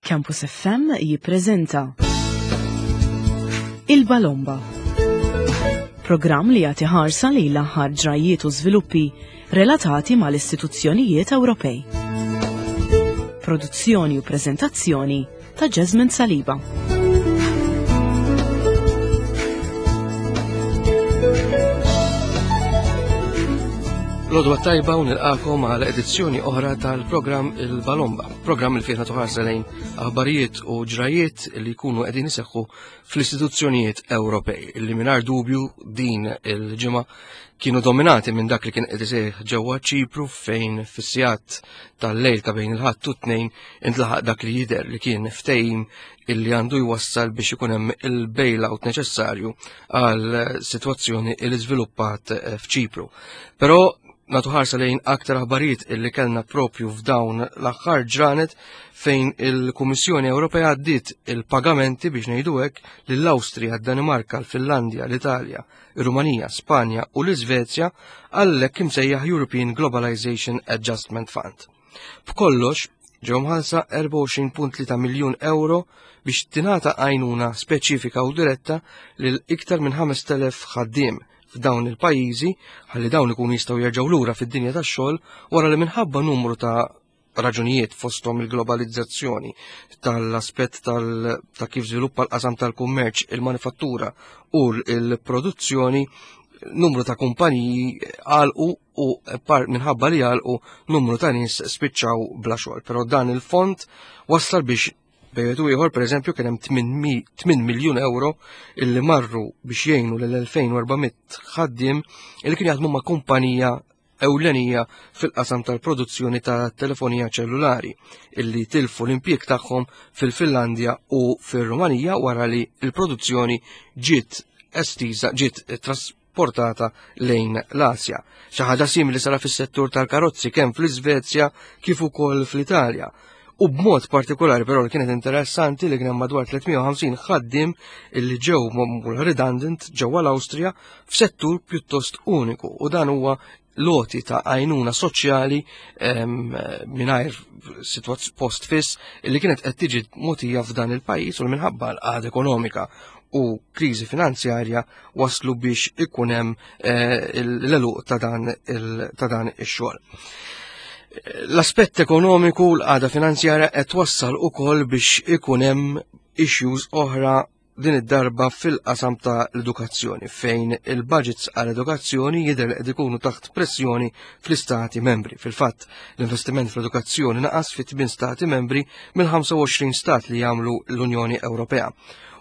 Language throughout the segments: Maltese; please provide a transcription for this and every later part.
Campus FM jippreżenta Il-Balomba. Programm li jagħti ħarsa lejn l-aħħar ġrajjiet u żviluppi relatati mal-istituzzjonijiet Ewropej. Produzzjoni u preżentazzjoni ta' Jasmine Saliba. Lodwa tajba u nilqakom għal edizzjoni oħra tal-programm Il-Balomba, programm il fih nagħtu ħarsa lejn aħbarijiet u ġrajiet li jkunu qegħdin iseħħu fl-istituzzjonijiet Ewropej, li mingħajr dubju din il-ġimgħa kienu dominati minn dak li kien qed iseħħ ġewwa Ċipru fejn fis-sigħat tal-lejl ta' bejn il-Ħadd u t-Tnejn intlaħaq dak li jidher li kien ftehim illi għandu jwassal biex ikun hemm il-bailout neċessarju għal sitwazzjoni li żviluppat eh, f'Ċipru. Però nagħtu ħarsa lejn aktar aħbarijiet illi kellna propju f'dawn l-aħħar ġranet fejn il-Kummissjoni Ewropea għaddiet il-pagamenti biex ngħidu hekk lill-Awstrija, d-Danimarka, l-Finlandja, l-Italja, ir-Rumanija, Spanja u l-Iżvezja għall-hekk imsejjaħ European Globalization Adjustment Fund. B'kollox, ġew mħallsa 24.3 miljun euro biex tingħata għajnuna speċifika u diretta lil iktar minn 5,000 ħaddiem f'dawn il-pajjiżi ħalli dawn ikunu jistgħu jerġgħu lura fid-dinja tax-xogħol wara li minħabba numru ta' raġunijiet fosthom il-globalizzazzjoni tal-aspett ta' kif żviluppa l-qasam tal-kummerċ, il-manifattura u l-produzzjoni, numru ta' kumpaniji għalqu u par minħabba li għalqu numru ta' nies spiċċaw bla xogħol. Però dan il-fond wassal biex bejn u ieħor pereżempju kien hemm 8 miljun euro illi marru biex jgħinu lil 2400 ħaddiem illi kien jaħdmu ma' kumpanija ewlenija fil-qasam tal-produzzjoni ta' telefonija ċellulari illi tilfu l-impjieg tagħhom fil-Finlandja u fir-Rumanija wara li l-produzzjoni ġiet estiża ġiet trasportata lejn l-Asja. Xi ħaġa simili sara fis-settur tal-karozzi kemm fl-Iżvezja kif ukoll fl-Italja. U b'mod partikolari però li kienet interessanti li kien hemm madwar 350 ħaddiem illi ġew magħmul redundant ġewwa l-Awstrija f'settur pjuttost uniku u dan huwa loti ta' għajnuna soċjali mingħajr post fiss li kienet qed tiġi mogħtija f'dan il-pajjiż u minħabba l-qagħda ekonomika u kriżi finanzjarja waslu biex ikun hemm eh, l-eluq ta' dan ix-xogħol. L-aspett ekonomiku l-qagħda finanzjarja qed wassal ukoll biex ikun hemm issues oħra din id-darba fil-qasam ta' l-edukazzjoni fejn il-budgets għall-edukazzjoni jidher li qed ikunu taħt pressjoni fl-istati membri. Fil-fatt, l-investiment fl-edukazzjoni naqas fi 8 stati membri mill-25 stat li jagħmlu l-Unjoni Ewropea.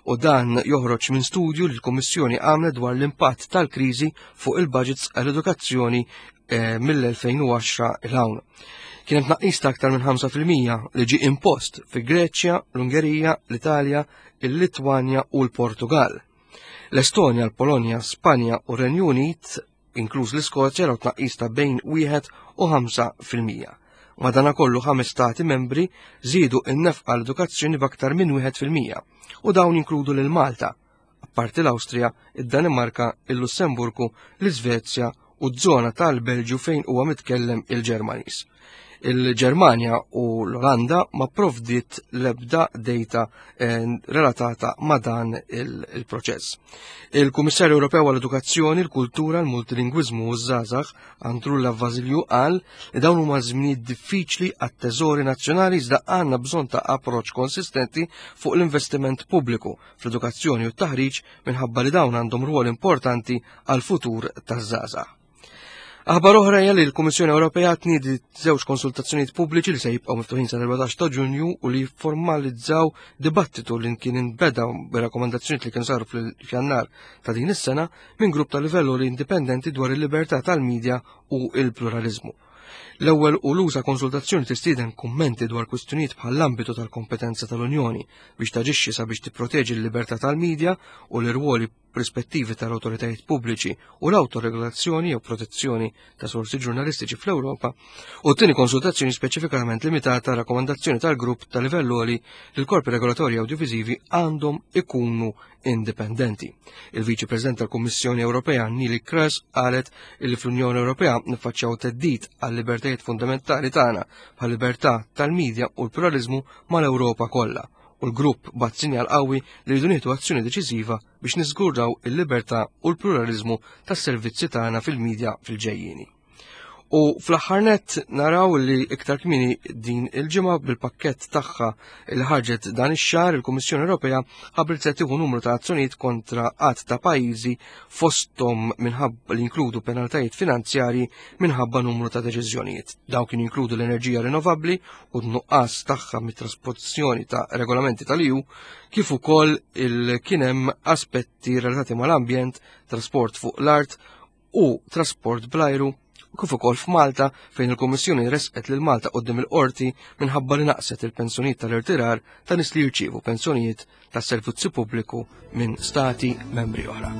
U dan joħroġ minn studju li l-Kummissjoni għamlet dwar l-impatt tal-kriżi fuq il-budgets għall-edukazzjoni eh, mill-2010 il hawn. Kien hemm tnaqqis ta' aktar minn 5% li ġie impost fi Greċja, l-Ungerija, l-Italja, il-Litwanja u l-Portugal. L-Estonja, l-Polonja, Spanja u Renju Unit, inkluż l-Iskozja, raw tnaqqis ta' bejn 1 u 5%. Madanakollu ħames stati membri żiedu n-nefqa l-edukazzjoni b'aktar minn 1% u dawn jinkludu lil Malta, apparti l-Awstrija, id-Danimarka, il-Lussemburgu, l-Iżvezja u z-zona tal-Belġju fejn huwa mitkellem il-Ġermaniż. Il-Ġermanja u l-Olanda ma provdiet l-ebda data eh, relatata ma' dan il-proċess. Il-Kummissarju Ewropew għall-Edukazzjoni, il-Kultura, il-Multilingwiżmu u ż-Żgħażagħ Andrulla Vasilju qal li dawn huma żminijiet diffiċli għat-teżori nazzjonali iżda għandna bżonn ta' approċċ konsistenti fuq l-investiment pubbliku fl-edukazzjoni u t-taħriġ minħabba li dawn għandhom rwol importanti għal futur taż-żgħażagħ. Aħbar oħra hija li l-Kummissjoni Ewropea tniedi żewġ konsultazzjonijiet pubbliċi li se jibqgħu miftuħin sal-14 ta' Ġunju u li formalizzaw dibattitu li kien inbeda b'rakkomandazzjonijiet li kienu saru fl-Jannar ta' din is-sena minn grupp ta' livell li indipendenti dwar il-libertà tal-medja u il-pluralizmu. L-ewwel u l-uża konsultazzjoni tistieden kummenti dwar kwistjonijiet bħall-ambitu tal-kompetenza tal-Unjoni biex taġixxi sabiex tipproteġi l-libertà tal-medja u l-irwoli rispettivi tal-awtoritajiet pubbliċi u l-awtoregolazzjoni jew protezzjoni ta' sorsi ġurnalistiċi fl-Ewropa, u t-tieni konsultazzjoni speċifikament limitata rakkomandazzjoni tal-grupp ta' livell għoli li l-korpi regolatorji awdjoviżivi għandhom ikunu indipendenti. Il-Viċi President tal-Kummissjoni Ewropea Neelie Kroes qalet li fl-Unjoni Ewropea niffaċċjaw theddid għal mal-libertajiet fundamentali tagħna bħal-libertà tal-medja u l-pluraliżmu mal-Ewropa kollha u l-grupp bat sinjal qawwi li rridu nieħdu azzjoni deċiżiva biex niżguraw il-libertà u l-pluraliżmu tas-servizzi tagħna fil-medja fil-ġejjieni. U fl-aħħar nett naraw li iktar kmieni din il-ġimgħa bil-pakkett tagħha li ħarġet dan ix-xahar il-Kummissjoni Ewropea ħabbret se tieħu numru ta' azzjonijiet kontra qatt ta' pajjiżi fosthom minħabba li jinkludu penaltajiet finanzjarji minħabba numru ta' deċiżjonijiet. Dawn kienu jinkludu l-enerġija rinnovabbli u n-nuqqas tagħha mit-trasposizzjoni ta' regolamenti tal-EU kif ukoll il kien hemm aspetti relatati mal-ambjent, trasport fuq l-art u trasport bl-ajru kif ukoll f'Malta fejn il-Kummissjoni resqet lil Malta quddiem il-qorti minħabba li naqset il-pensjonijiet tal-irtirar ta' nies li jirċievu pensjonijiet tas-servizzi pubbliku minn stati membri oħra.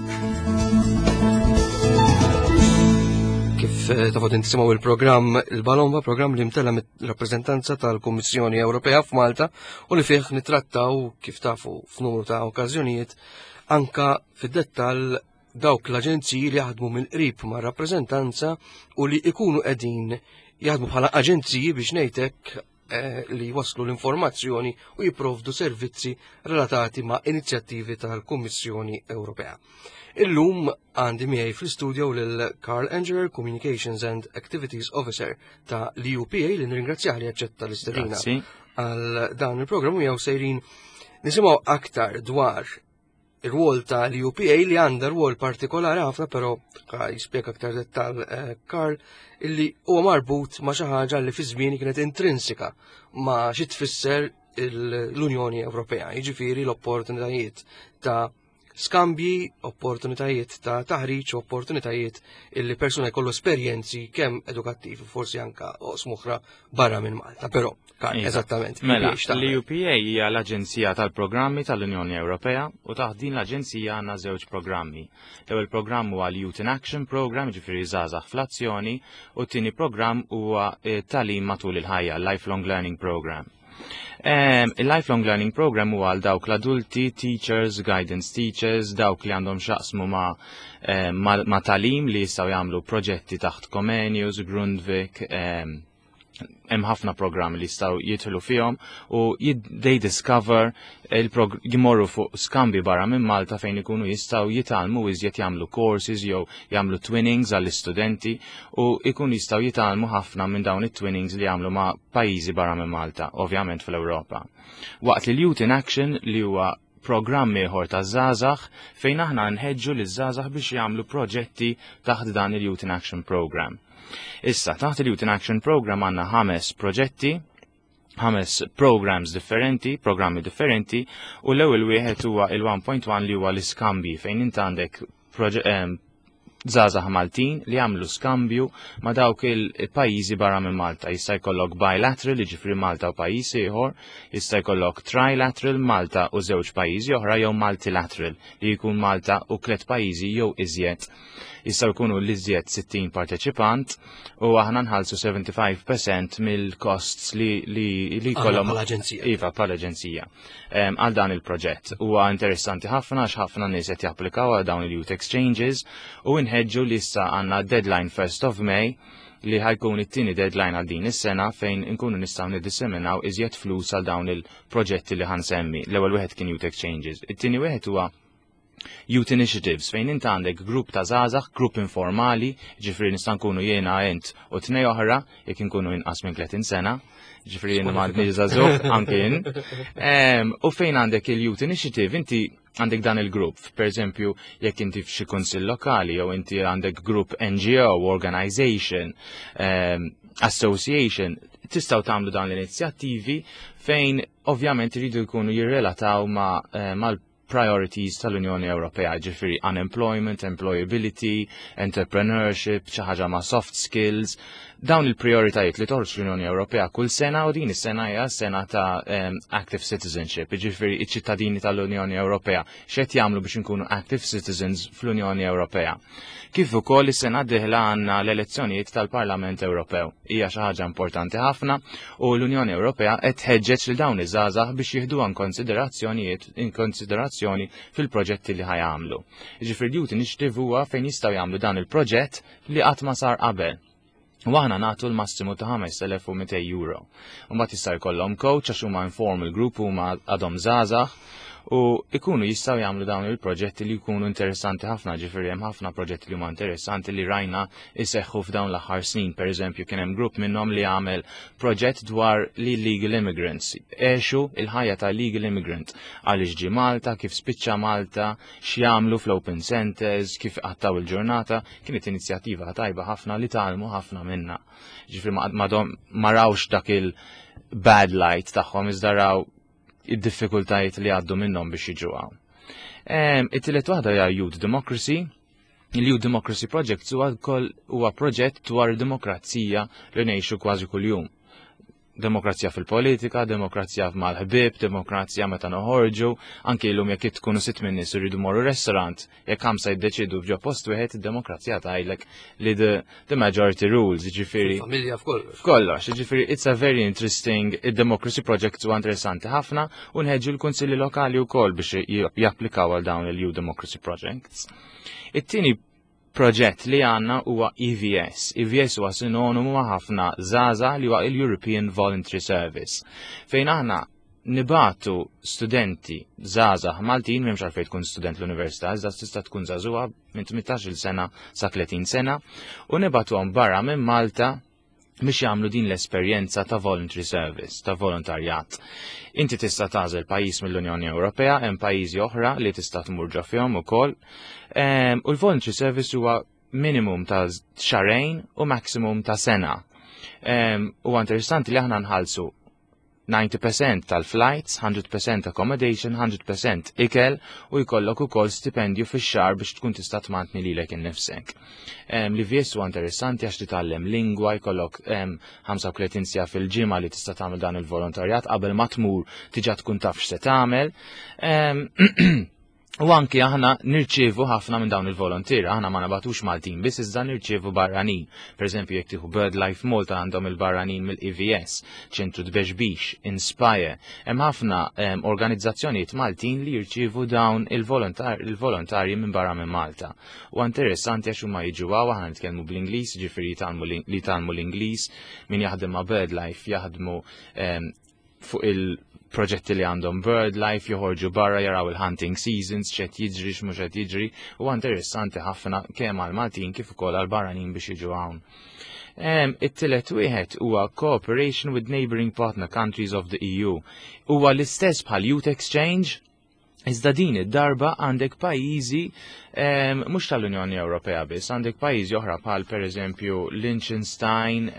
Kif eh, tafu tinsimgħu il-programm il-Balomba, programm li mtella mit-rappreżentanza tal-Kummissjoni Ewropea f'Malta u li fih nittrattaw kif tafu f'numru ta' okkażjonijiet anka fid-dettall dawk l-aġenziji li jaħdmu mill-qrib ma' rappreżentanza u li ikunu qegħdin jaħdmu bħala aġenziji biex ngħidlek eh, li waslu l-informazzjoni u jipprovdu servizzi relatati ma' inizjattivi tal-Kummissjoni Ewropea. Illum għandi miegħi fl-istudio lil Carl Angeler, Communications and Activities Officer ta' l-UPA li nirringrazzjah li aċċetta l-istedina għal dan il-programm u jew sejrin nisimgħu aktar dwar ir-rwol ta' l-UPA li għandha rwol partikolari ħafna, però jispjega aktar dettal eh, Karl, illi huwa marbut ma' xi ħaġa li fi żmieni kienet intrinsika ma' xi tfisser l-Unjoni Ewropea, jiġifieri l-opportunitajiet ta' skambji, opportunitajiet ta' taħriġ, opportunitajiet illi persuna jkollu esperjenzi kemm edukattivi, forsi anka oqsmuħra barra minn Malta, però Iva. Eżattament. Mela, l-UPA hija l-Aġenzija tal-Programmi tal-Unjoni Ewropea u taħt din l-Aġenzija għandna żewġ programmi. L-ewwel programm huwa l-Youth in Action Program, ġifieri żgħażagħ fl-azzjoni, u t-tieni programm huwa eh, tagħlim matul il-ħajja, Lifelong Learning Program. Il-Lifelong Learning Program huwa għal dawk l-adulti, teachers, guidance teachers, dawk li għandhom xaqsmu ma, ma, ma talim li jistgħu jagħmlu proġetti taħt Comenius, Grundvik, hemm ħafna programmi li jistgħu jidħlu fihom u they discover jmorru fuq skambi barra minn Malta fejn ikunu jistgħu jitgħallmu iżjed jagħmlu courses jew jagħmlu twinnings għall-istudenti u jkunu jistgħu jitgħallmu ħafna minn dawn it-twinnings li jagħmlu ma' pajjiżi barra minn Malta, ovvjament fl-Ewropa. Waqt li l-Youth in Action li huwa programm ieħor ta' żgħażagħ fejn aħna nħeġġu liż-żgħażagħ biex jagħmlu proġetti taħt dan il-Youth in Action Program. Issa, taħt il-Youth in Action Program għandna ħames proġetti, ħames programs differenti, programmi differenti, u l-ewwel wieħed huwa il-1.1 li huwa l-iskambi fejn int għandek żgħażagħ Maltin li jagħmlu skambju ma' dawk il-pajjiżi barra minn Malta. Jista' jkollok bilateral, jiġifieri Malta u pajjiż ieħor, jista' jkollok trilateral Malta u żewġ pajjiżi oħra jew multilateral li jkun Malta u tliet pajjiżi jew iżjed. Jistgħu jkunu l-iżjed 60 parteċipant u aħna nħallsu 75% mill-costs li li li jkollhom bħala-aġenzija. Iva, bħala-aġenzija għal dan il-proġett. Huwa interessanti ħafna għax ħafna nies qed japplikaw għal dawn il-youth exchanges u nħeġġu li issa għandna deadline 1st of May li ħajkun it-tieni deadline għal din is-sena fejn inkunu nistgħu niddisseminaw iżjed flus għal dawn il-proġetti li ħansemmi. L-ewwel wieħed kien youth exchanges. It-tieni wieħed huwa Youth Initiatives fejn int għandek grupp ta' żgħażagħ, grupp informali, ġifieri nista' nkunu jiena int u tnej oħra, jekk inkunu inqas minn 30 sena, ġifieri jiena m'għadniex żagħżugħ anke jien. U fejn għandek il-Youth Initiative, inti għandek dan il-grupp, per eżempju, jekk inti f'xi kunsill lokali jew inti għandek grupp NGO, organization, association, tistgħu tagħmlu dawn l-inizjattivi fejn ovvjament iridu jkunu jirrelataw ma' eh, mal priorities tal-Unjoni Ewropea, ġifieri unemployment, employability, entrepreneurship, xi ħaġa ma' soft skills, dawn il-prioritajiet li toħroġ l-Unjoni Ewropea kull sena u din is-sena hija sena ta' active citizenship, ġifieri iċ-ċittadini tal-Unjoni Ewropea x'qed jagħmlu biex inkunu active citizens fl-Unjoni Ewropea. Kif ukoll is-sena d-dieħla għandna l-elezzjonijiet tal-Parlament Ewropew. Hija xi ħaġa importanti ħafna u l-Unjoni Ewropea qed tħeġġeġ lil dawn iż-żgħażagħ biex jieħduha konsiderazzjonijiet in konsiderazzjoni fil-proġetti li ħajamlu. Ġifieri Youth Initiative huwa fejn jistgħu jagħmlu dan il-proġett li qatt ma sar qabel. U aħna nagħtu l-massimu ta' 5200 euro. U mbagħad jista' jkollhom coach għax huma informal group huma għadhom żgħażagħ u ikunu jistgħu jagħmlu dawn il-proġetti li jkunu interessanti ħafna, ġifieri hemm ħafna proġetti li huma interessanti li rajna jseħħu f'dawn l-aħħar snin. Pereżempju kien hemm grupp minnhom li għamel proġett dwar li illegal immigrants, għexu il-ħajja ta' illegal immigrant, għaliex ġie Malta, kif spiċċa Malta, x'jagħmlu fl-open centers, kif qattaw il-ġurnata, kienet inizjattiva tajba ħafna li tgħallmu ħafna minna. Ġifieri ma rawx dak il-bad light tagħhom iżda raw id-diffikultajiet li għaddu minnhom biex jiġu hawn. It-tielet waħda hija Youth Democracy. Il-Youth Democracy Project huwa huwa proġett dwar demokrazija li ngħixu kważi kuljum. Demokrazija fil-politika, demokrazija mal-ħbieb, demokrazija meta noħorġu, anki llum jekk tkunu sitt minn nies iridu morru restaurant, jekk ħamsa jiddeċidu f'ġo post wieħed, id-demokrazija tgħidlek li the majority rules, jiġifieri. Familja f'kollox. F'kollox, jiġifieri it's a very interesting, id-Democracy Project huwa interessanti ħafna u nħeġġu l-kunsilli lokali wkoll biex japplikaw għal dawn il-Youth Democracy Projects. It-tieni proġett li għandna huwa EVS. EVS huwa sinonimu ma' ħafna żgħażagħ li huwa il-European Voluntary Service, fejn aħna nibatu studenti żgħażagħ Maltin, m'hemmx għalfejn tkun student l-università, iżda tista' tkun żagħżugħa minn 18-il sena sa 30 sena, u nibatuhom barra minn Malta biex jagħmlu din l-esperjenza ta' voluntary service, ta' volontarjat. Inti tista' tagħżel pajjiż mill-Unjoni Ewropea, hemm pajjiżi oħra li tista' tmur ġo fihom ukoll. U l-voluntary service huwa minimum ta' xahrejn u maximum ta' sena. Huwa interessanti li aħna nħallsu 90% tal-flights, 100% accommodation, 100% ikel u jkollok ukoll stipendju fix-xahar biex tkun tista' tmantni lilek innifsek. Li VS huwa interessanti għax titgħallem lingwa, jkollok 35 siegħa fil-ġimgħa li tista' tagħmel dan il-volontarjat qabel ma tmur diġà tkun taf x'se tagħmel. U anki aħna nirċievu ħafna minn dawn il-volontieri, aħna ma nabatux Maltin biss iżda nirċievu barranin. Per eżempju, jekk tieħu BirdLife Malta għandhom il-barranin mill-EVS, Ċentru Tbexbix, Inspire. Hemm ħafna organizzazzjonijiet Maltin li jirċievu dawn il-volontarji minn barra minn Malta. U interessanti għax huma jiġu hawn, aħna nitkellmu bl-Ingliż, ġifieri li jitgħallmu l-Ingliż, min jaħdem ma' BirdLife jaħdmu fuq il-proġetti li għandhom BirdLife, joħorġu barra jaraw il-hunting seasons, x'qed jiġri, x'mhux qed jiġri, u interessanti ħafna kemm għal Maltin kif ukoll għal barranin biex jiġu hawn. It-tielet wieħed huwa Cooperation with Neighboring Partner Countries of the EU. Huwa l-istess bħal Youth Exchange, iżda din id-darba għandek pajjiżi mhux tal-Unjoni Ewropea biss, għandek pajjiżi oħra bħal pereżempju Liechtenstein,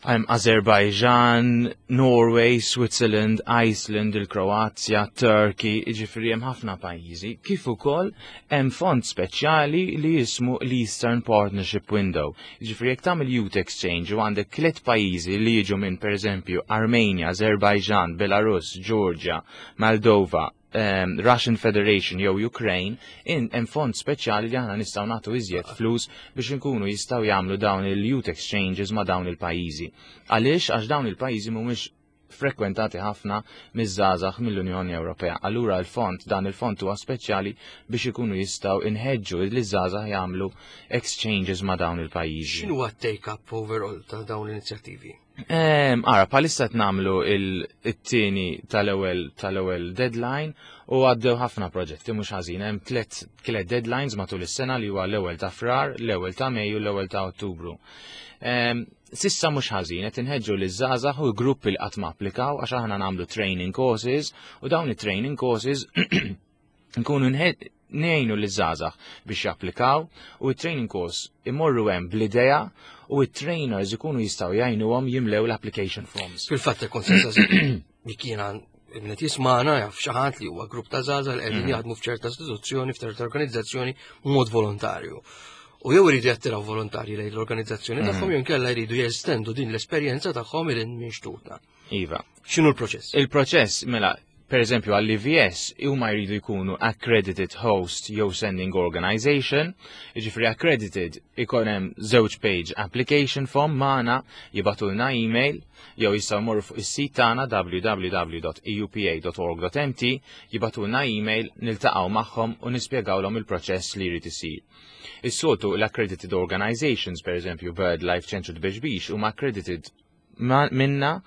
Azerbaijan, Norway, Switzerland, Iceland, il-Kroazja, Turkey, jiġifieri hemm ħafna pajjiżi. Kif ukoll hemm fond speċjali li jismu l-Eastern Partnership Window. Jiġifieri jekk tagħmel Youth Exchange u għandek tliet pajjiżi li jiġu minn pereżempju Armenia, Azerbaijan, Belarus, Georgia, Moldova, Russian Federation jew Ukraine, hemm fond speċjali li aħna nistgħu nagħtu iżjed flus biex inkunu jistgħu jagħmlu dawn il-youth exchanges ma' dawn il-pajjiżi. Għaliex? Għax dawn il-pajjiżi mhumiex frekwentati ħafna miż-żgħażagħ mill-Unjoni Ewropea. Allura dan il-fond huwa speċjali biex ikunu jistgħu inħeġġu li żgħażagħ jagħmlu exchanges ma' dawn il-pajjiżi. X'inhu take-up overall ta' dawn l-inizjattivi? Ara, bħalissa qed nagħmlu it-tieni tal-ewwel deadline u għaddew ħafna proġetti mhux ħażin. Hemm tliet deadlines matul is-sena li huwa l-ewwel ta' Frar, l-ewwel ta' Mejju u l-ewwel ta' Ottubru. Sissa mhux ħażin qed inħeġġu liż-żgħażagħ u gruppi li qatt ma applikaw għax aħna nagħmlu training courses u dawn it-training courses nkunu ngħinu liż-żgħażagħ biex japplikaw u t-training course imorru hemm bl-idea u t-trainers ikunu jistgħu jgħinuhom jimlew l-application forms. Fil-fatt ikun sensa li kiena qed jismagħna jaf xi ħadd li huwa grupp ta' żgħażagħ li qegħdin jaħdmu f'ċerta istituzzjoni, f'ċerta organizzazzjoni b'mod volontarju. U jew iridu jattiraw volontarji lejn l-organizzazzjoni tagħhom jew inkella jridu jestendu din l-esperjenza tagħhom lil minn xtutna. Iva. X'inhu l-proċess? Il-proċess, mela, Per eżempju, għall-EVS huma jridu jkunu accredited host jew sending organization, jiġifieri accredited ikun hemm żewġ page application form magħna, jibagħtulna email jew jistgħu jmorru fuq is-sit tagħna www.eupa.org.mt, jibagħtulna email, niltaqgħu magħhom u nispjegawlhom il-proċess li jrid isir. Is-soltu l-accredited organizations, per eżempju BirdLife Ċentru Tbexbix, huma accredited minna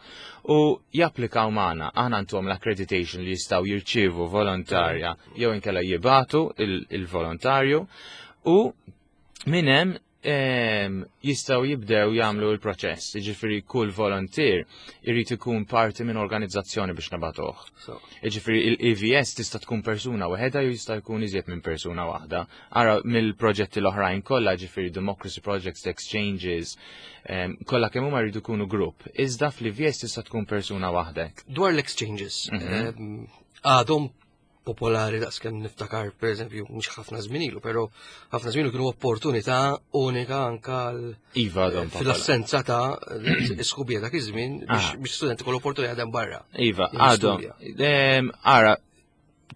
u japplikaw magħna. Aħna ntuhom l-accreditation li jistgħu jirċievu volontarja jew inkella jibatu il-volontarju u minn hemm jistgħu jibdew jagħmlu l-proċess. Jiġifieri kull volontier irid ikun parti minn organizzazzjoni biex nabatuh. Jiġifieri il-EVS tista' tkun persuna waħedha jew jista' jkun iżjed minn persuna waħda. Ara mill-proġetti l-oħrajn kollha, ġifieri Democracy Projects, Exchanges, kollha kemm huma jridu jkunu grupp. Iżda fl-EVS tista' tkun persuna waħdek. Dwar l-exchanges, għadhom popolari daqs kemm niftakar, per eżempju, mhux ħafna żmien ilu, però ħafna żmien ilu kienu opportunità unika anka Iva, għadhom popolari. fil-assenza ta' sħubija dak iż-żmien biex studenti kollu opportunità jaħdem barra. Iva, Jew għadhom. jistudja. Ara,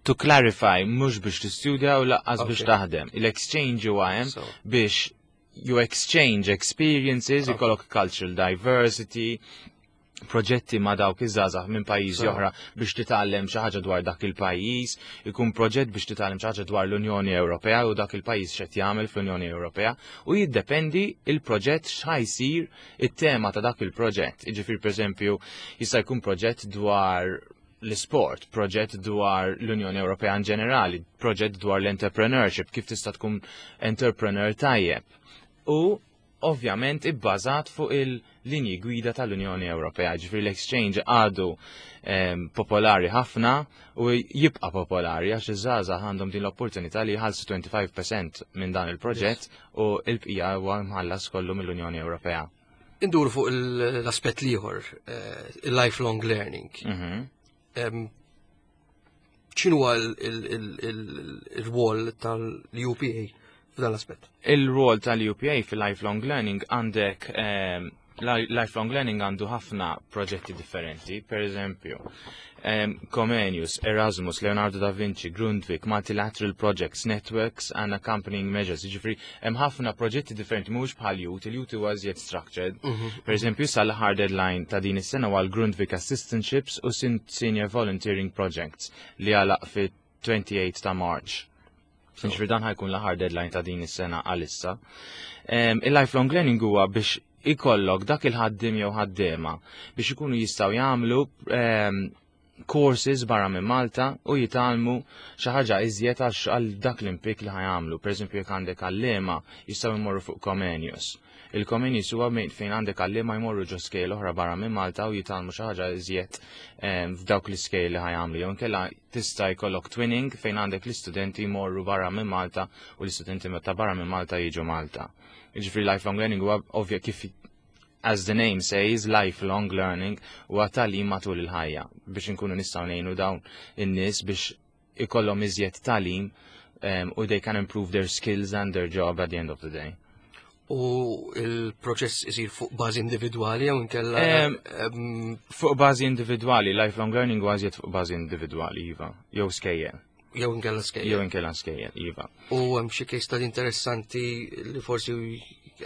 to clarify, mhux biex tistudja u lanqas biex taħdem. Il-exchange huwa hemm biex you exchange experiences, ikollok cultural diversity, proġetti ma' dawk iż-żgħażagħ minn pajjiżi oħra biex titgħallem xi ħaġa dwar dak il-pajjiż, ikun proġett biex titgħallem xi ħaġa dwar l-Unjoni Ewropea u dak il-pajjiż x'qed jagħmel fl-Unjoni Ewropea u jiddependi il-proġett x'ħa jsir, it-tema ta' dak il-proġett. Jiġifieri, pereżempju, jista' jkun proġett dwar l-sport, proġett dwar l-Unjoni Ewropea in ġenerali, proġett dwar l-entrepreneurship, kif tista' tkun entrepreneur tajjeb. U ovvjament ibbażat fuq il-linji gwida tal-Unjoni Ewropea, ġifieri l-exchange għadu popolari ħafna u jibqa' popolari għax iż-żgħażagħ għandhom din l-opportunità li jħallsu 25% minn dan il-proġett u l-bqija huwa mħallas kollu mill-Unjoni Ewropea. Indur fuq l-aspett l-ieħor, il-lifelong learning. X'inhu il-rwol tal-UPA f'dan l-aspett? Il-rwol tal-UPA fil-lifelong learning għandek, lifelong learning għandu ħafna proġetti differenti, per eżempju, Comenius, Erasmus, Leonardo da Vinci, Grundtvig, Multilateral Projects, Networks and Accompanying Measures. Jiġifieri, hemm ħafna proġetti differenti, mhux bħal Youth, il-Youth huwa iżjed structured. Per eżempju, sal-aħħar deadline ta' din is-sena huwa l-Grundtvig Assistantships u Senior Volunteering Projects li għalaq fi 28 ta' March. Jiġifieri dan ħa jkun l-aħħar deadline ta' din is-sena għalissa. Il-lifelong learning huwa biex ikollok dak il-ħaddim jew ħaddiema biex ikunu jistgħu jagħmlu courses barra minn Malta u jitgħallmu xi ħaġa iżjed għal dak l-impjieg li ħa jagħmlu. Per eżempju, jekk għandek għalliema jistgħu jmorru fuq Comenius. Il-Comenius huwa fejn għandek għalliema jmorru ġo skejjel oħra barra minn Malta u jitgħallmu xi ħaġa iżjed f'dawk l-iskejjel li ħa jagħmlu. Jew inkella tista' jkollok twinning fejn għandek l-istudenti jmorru barra minn Malta u l-istudenti ta' barra minn Malta jiġu Malta. Jiġifieri lifelong learning huwa ovvja kif, as the name says, lifelong learning huwa tagħlim matul il-ħajja biex inkunu nistgħu ngħinu dawn in-nies biex ikollhom iżjed tagħlim u they can improve their skills and their job at the end of the day. U il-proċess isir fuq bażi individwali jew inkella Fuq bażi individwali, lifelong learning huwa iżjed fuq bażi individwali, iva, jew skejjel. Jew inkella skejjel. Jew inkella skejjel, iva. U hemm xi case study interessanti li forsi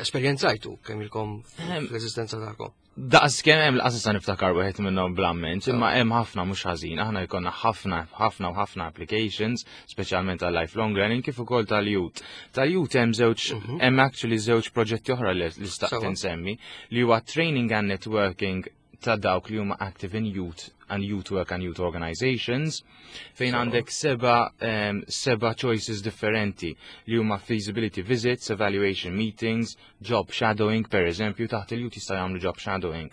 esperjenzajtu kemm ilkom fl-eżistenza tagħkom? Daqs kemm hemm l-qasas sa niftakar wieħed minnhom bl-amment, imma hemm ħafna mhux ħażin. Aħna jkollna ħafna, ħafna u ħafna applications, speċjalment tal lifelong learning kif ukoll tal-youth. Tal-youth hemm żewġ, hemm actually żewġ proġetti oħra li staqt insemmi, li huwa training and networking ta' dawk li huma active in youth and youth work and youth organizations, fejn għandek seba choices differenti li huma feasibility visits, evaluation meetings, job shadowing, per eżempju, taħt il-youth jista' jagħmlu job shadowing,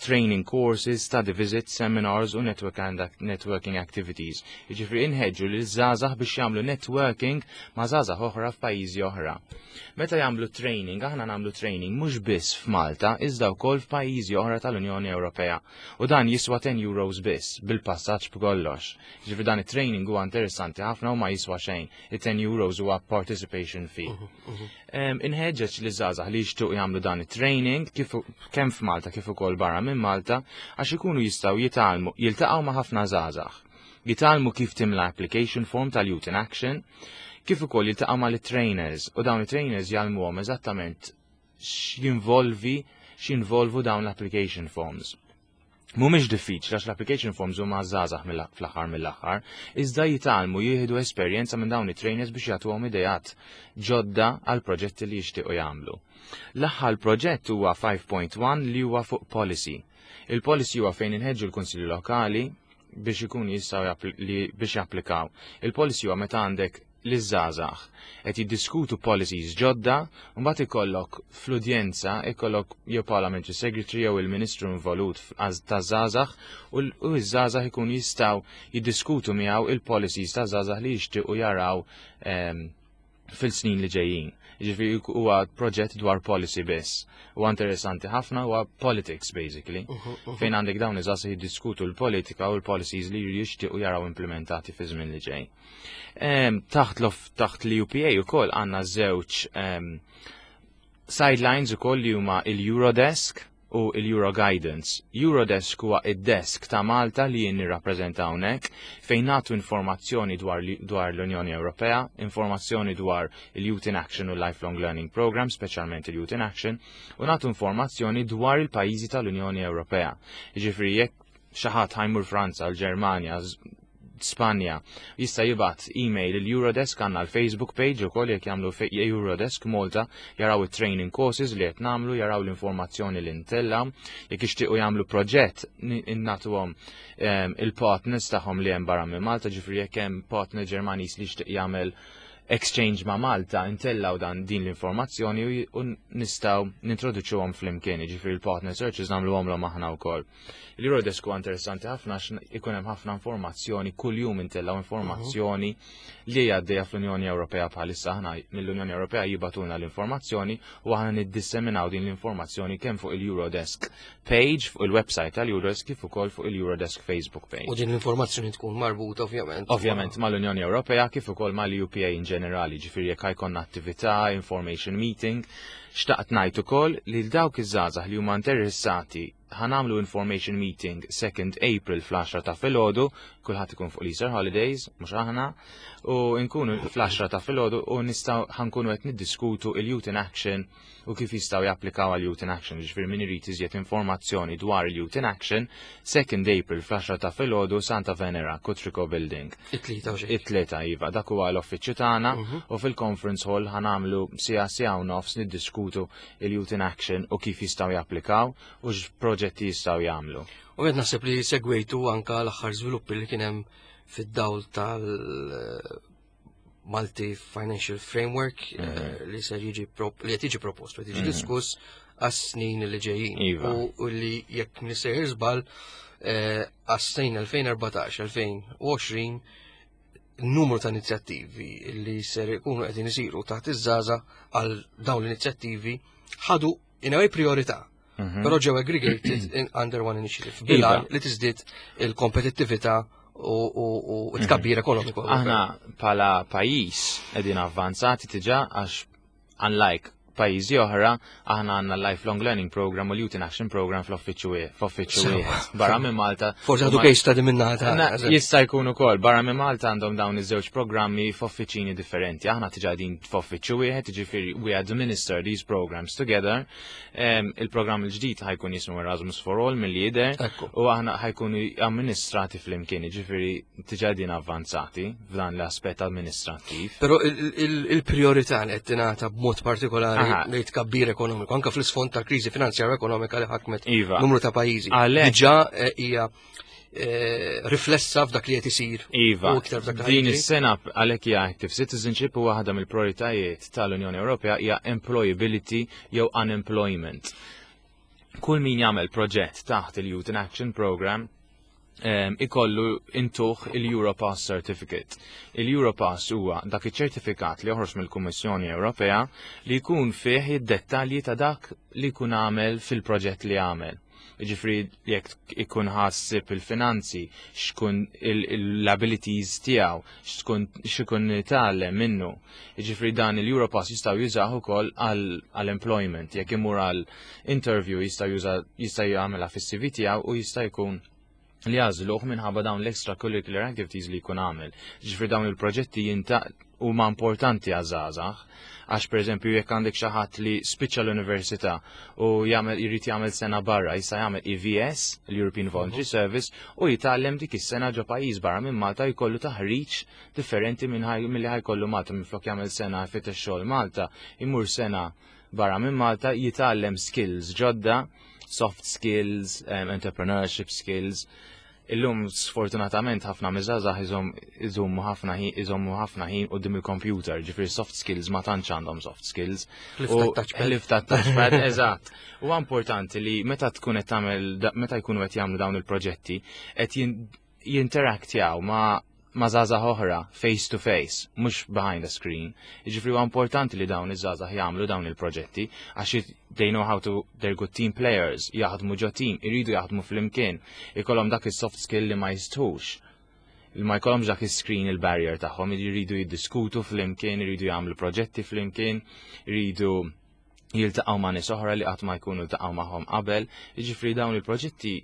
training courses, study visits, seminars u network and networking activities. Jiġifieri inħeġġu lil żgħażagħ biex jagħmlu networking ma' żgħażagħ oħra f'pajjiżi oħra. Meta jagħmlu training, aħna nagħmlu training mhux biss f'Malta, iżda wkoll f'pajjiżi oħra tal-Unjoni Ewropea. U dan jiswa Jiswa €10 biss bil-passaġġ b'kollox. Ġifieri dan it-training huwa interessanti ħafna u ma jiswa xejn. Il-€10 huwa participation fee. Inħeġġeġ li żgħażagħ li jixtiequ jagħmlu dan it-training kif kemm f'Malta kif ukoll barra minn Malta għax ikunu jistgħu jitgħallmu jiltaqgħu ma' ħafna żgħażagħ. Jitgħallmu kif timla application form tal-Youth in Action, kif ukoll jiltaqgħu mal-trainers u dawn it-trainers jgħallmuhom eżattament x'jinvolvu dawn l-application forms. Mhumiex diffiċli għax l-application forms huma żgħażagħ fl-aħħar mill-aħħar, iżda jitgħallmu jieħdu esperjenza minn dawn it-trainers biex jagħtuhom ideat ġodda għal proġetti li jixtiequ jagħmlu. L-aħħar proġett huwa 5.1 li huwa fuq policy. Il-policy huwa fejn inħeġġu l-Kunsilli Lokali biex ikun jistgħu biex japplikaw. Il-policy huwa meta għandek l-żgħażagħ qed jiddiskutu policies ġodda, u mbagħad ikollok fl-udjenza ikollok jew parliamentary secretary jew il-ministru involut taż-żgħażagħ u ż-żgħażagħ ikun jistgħu jiddiskutu miegħu il-policies taż-żgħażagħ li jixtiequ jaraw fil-snin li ġejjin. Ġifieri huwa proġett dwar policy biss. Huwa interessanti ħafna, huwa politics basically. Fejn għandek dawn iż-żgħażagħ jiddiskutu l-politika u l-policies li jixtiequ jaraw implementati fi żmien li ġej. Taħt l-UPA ukoll għandna żewġ sidelines ukoll li huma il-Eurodesk u il-Euro Guidance. Eurodesk huwa id-desk ta' Malta li jien nirrappreżenta hawnhekk fejn nagħtu informazzjoni dwar l-Unjoni Ewropea, informazzjoni dwar il-Youth in Action u Lifelong Learning Program, speċjalment il-Youth in Action, u nagħtu informazzjoni dwar il-pajjiżi tal-Unjoni Ewropea. Jiġifieri jekk xi ħadd ħa jmur Franza, l-Ġermanja, Spanja, jista' jibgħat email il-Eurodesk. Għandna l-Facebook page ukoll, jekk jagħmlu Eurodesk Malta jaraw it-training courses li qed nagħmlu, jaraw l-informazzjoni li ntella. Jekk jixtiequ jagħmlu proġett nagħtuhom il-partners tagħhom li hemm barra minn Malta, ġifieri jekk hemm partner Ġermaniż li jixtieq jagħmel exchange ma' Malta, intellaw dan din l-informazzjoni u nistgħu nintroduċuhom flimkien, ġifieri l-partner searches nagħmluhom l aħna wkoll. Il-Eurodesk huwa interessanti ħafna għax ikun hemm ħafna informazzjoni, kuljum intellaw informazzjoni li għaddejja fl-Unjoni Ewropea bħalissa. Aħna mill-Unjoni Ewropea jibagħtulna l-informazzjoni u aħna niddisseminaw din l-informazzjoni kemm fuq il-Eurodesk page fuq il-website tal-Eurodesk kif ukoll fuq il-Eurodesk Facebook page. U din l-informazzjoni tkun marbuta ovvjament. Ovvjament mal-Unjoni Ewropea kif ukoll mal-UPA in ġenerali, ġifieri jekk jkollna attività, information meeting. Xtaqt ngħid ukoll li dawk iż-żgħażagħ li huma interessati, ħa nagħmlu information meeting 2nd April fl-10 ta' filgħodu, kulħadd ikun fuq l-Easter Holidays, mhux aħna, u nkunu fl-10 ta' filgħodu u nistgħu ħa nkunu qed niddiskutu il-Youth in Action u kif jistgħu japplikaw għal Youth in Action. Ġifieri min irid iżjed informazzjoni dwar il-Youth in Action, 2nd April fl-10 ta' filgħodu, Santa Venera, Kutriko Building. It-Tlieta u xejn. It-Tlieta, iva, dak huwa l-uffiċċju tagħna u fil-conference hall ħa nagħmlu siegħa, siegħa u nofs niddiskutu il-Youth in Action u kif jistgħu japplikaw u x'proġetti jistgħu jagħmlu. U għed naħseb li segwejtu anka l-aħħar żviluppi li kien hemm fid-dawl tal- Multi Financial Framework li ser jiġi li qed jiġi propost, qed jiġi diskuss għas-snin li ġejjin. U li jekk nisejjer żball għas-snin 2014-2020 numru ta' inizjattivi li ser ikunu qegħdin isiru taħt iż-żgħażagħ, għal dawn l-inizjattivi ħadu in a way priorità. Però ġew aggregated in under one initiative. Bil-għan li tiżdied il-kompetittività u tkabbir ekonomiku. Aħna bħala pajjiż qegħdin avvanzati diġà għax unlike pajjiżi oħra, aħna għandna Lifelong Learning Program u l-Youth in Action Program fl-uffiċċju wieħed. Barra minn Malta. Forsi għadu case study minna ta' Jista' jkun ukoll, barra minn Malta għandhom dawn iż-żewġ programmi f'uffiċini differenti. Aħna diġà qegħdin f'uffiċċju wieħed, jiġifieri we administer these programs together. Il-programm il-ġdid ħa jkun jismu Erasmus for All mill-jidher u aħna ħa jkunu amministrati flimkien, jiġifieri diġà qegħdin avvanzati f'dan l-aspett amministrattiv. Però il-priorità li qed tingħata b'mod partikolari li tkabbir ekonomiku, anka fl-isfond tal-kriżi finanzjarja ekonomika li ħakmet numru ta' pajjiżi. Diġà hija riflessa f'dak li qed isir. Iva, U iktar f'dak li din ħa jiġri. Is-sena għalhekk hija Active Citizenship u waħda mill-prioritajiet tal-Unjoni Ewropea hija employability jew unemployment. Kull min jagħmel proġett taħt il-Youth in Action Program ikollu intuh il-Europass Certificate. Il-Europass huwa dak iċ-ċertifikat li joħroġ mill-Kummissjoni Ewropea li jkun fih id-dettalji ta' dak li jkun għamel fil-proġett li għamel. Ġifri jekk ikun ħassib il-finanzi, xkun l-abilities tiegħu, xkun xikun tgħallem minnu. Ġifri dan il-Europass jistgħu jużaw ukoll għall-employment, jekk imur għal interview jista' juża jista' jagħmilha fis-CV tiegħu u jista' jkun li jagħżluh minħabba dawn l-extracurricular activities li jkun għamel. Ġifri dawn il-proġetti jinta huma importanti għaż-żgħażagħ, għax pereżempju jekk għandek xi ħadd li spiċċa l-università u jagħmel jrid jagħmel sena barra, jista' jagħmel EVS, l-European Voluntary Service, u jitgħallem dik is-sena ġo pajjiż barra minn Malta jkollu taħriġ differenti minn milli ħajkollu Malta minflok jagħmel sena fittex xogħol Malta, imur sena barra minn Malta jitgħallem skills ġodda, soft skills, entrepreneurship skills. Illum sfortunatament ħafna miż-żgħażagħ iżommu ħafna ħin iżommu ħafna ħin quddiem il-computer, ġifieri soft skills ma tantx għandhom soft skills. Ħlief tat-touchpad, eżatt. Huwa importanti li meta tkun qed tagħmel meta jkunu qed jagħmlu dawn il-proġetti qed jinteraktjaw ma' żgħażagħ oħra face to face, mhux behind a screen. Jiġifieri huwa importanti li dawn iż-żgħażagħ jagħmlu dawn il-proġetti għax they know how to, they're good team players, jaħdmu ġo team, iridu jaħdmu flimkien, ikollhom dak is-soft skill li ma jistħux. Li ma jkollhomx dak is-screen il-barrier tagħhom, iridu jiddiskutu flimkien, iridu jagħmlu proġetti flimkien, iridu jiltaqgħu ma' nies oħra li qatt ma jkunu ltaqgħu magħhom qabel. Jiġifieri dawn il-proġetti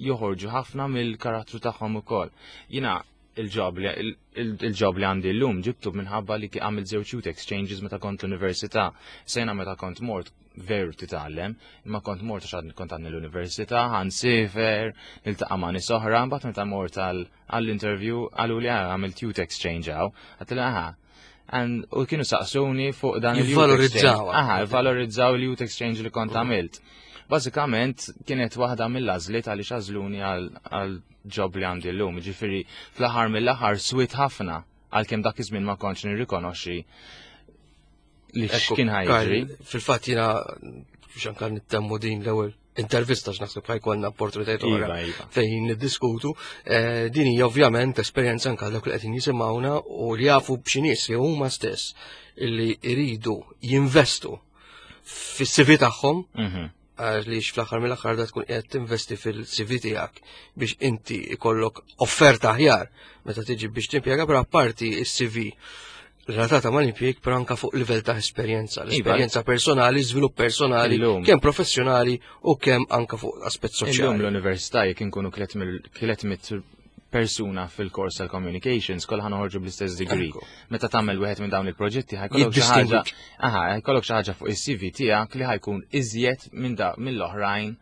joħorġu ħafna mill-karattru tagħhom ukoll. Jiena il-job li għandi llum ġibtu minħabba li għamil żewġ youth exchanges meta kont l-università. Sena meta kont mort veru titgħallem, imma kont mort għax kont għandni l-università, ħa nsifer, niltaqa' ma' nies oħra, mbagħad meta mort għall-interview qalu li għamilt youth exchange hawn, għedtilha aha. U kienu saqsuni fuq dan il-Valorizzaw. Aha, valorizzaw il-youth exchange li kont għamilt. Bażikament kienet waħda mill-għażliet għaliex għażluni għal job li għandi llum, ġifieri fl-aħħar mill-aħħar swit ħafna għalkemm dak iż-żmien ma kontx nirrikonoxxi li x'kien ħa jiġri. Fil-fatt jiena biex anka nittemmu din l-ewwel intervista x'naħseb ħajkollna opportunitajiet oħra Iva, iva. fejn niddiskutu. Din hija ovvjament esperjenza anke dawk li qegħdin jisimgħuna u li jafu b'xi nies li huma stess illi jridu jinvestu fis-CV tagħhom għaliex fl-aħħar mill-aħħar da tkun qiegħed tinvesti fil-CV tiegħek biex inti ikollok offerta aħjar meta tiġi biex timpjega, però apparti is-CV relatata mal-impjieg però anka fuq livell ta' esperjenza, l-esperjenza personali, żvilupp personali, kemm professjonali u kemm anka fuq aspett Illum soċjali. l-università jekk inkunu 300 persuna fil-kors tal-communications, kollha noħorġu bl-istess degree. Meta tagħmel wieħed minn dawn il-proġetti ħajkollok xi ħaġa, Jiddistingwik. aha, ħajkollok xi ħaġa fuq is-CV tiegħek li ħajkun iżjed minn da mill-oħrajn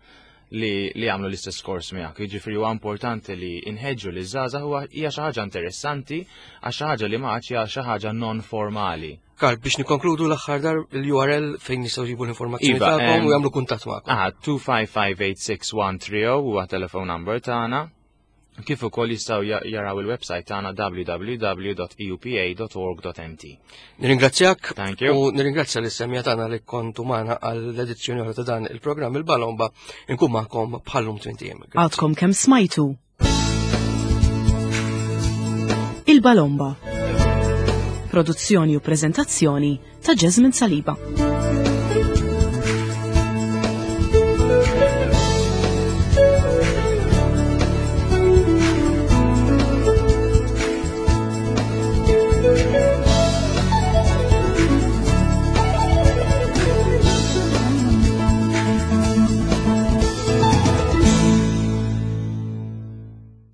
li jagħmlu l-istess kors miegħek. Jiġifieri huwa importanti li nħeġġu li żgħażagħ huwa hija xi ħaġa interessanti għax xi ħaġa li ma għadx hija xi ħaġa non formali. Karl, biex nikkonkludu l-aħħar dar l-URL fejn nistgħu jġibu l-informazzjoni Iva, tagħkom u jagħmlu kuntatt magħkom. Aha, 2558613 huwa telephone number tagħna. Kif ukoll jistgħu jaraw il-website tagħna www.eupa.org.mt. Nirringrazzjak Thank you. u nirringrazzja lis-semja tagħna li kontu magħna għall-edizzjoni oħra ta' dan il-programm il-Balomba inkun magħkom bħallum 20 jiem. Għadkom kemm smajtu. Il-Balomba. Produzzjoni u preżentazzjoni ta' Jasmine Saliba.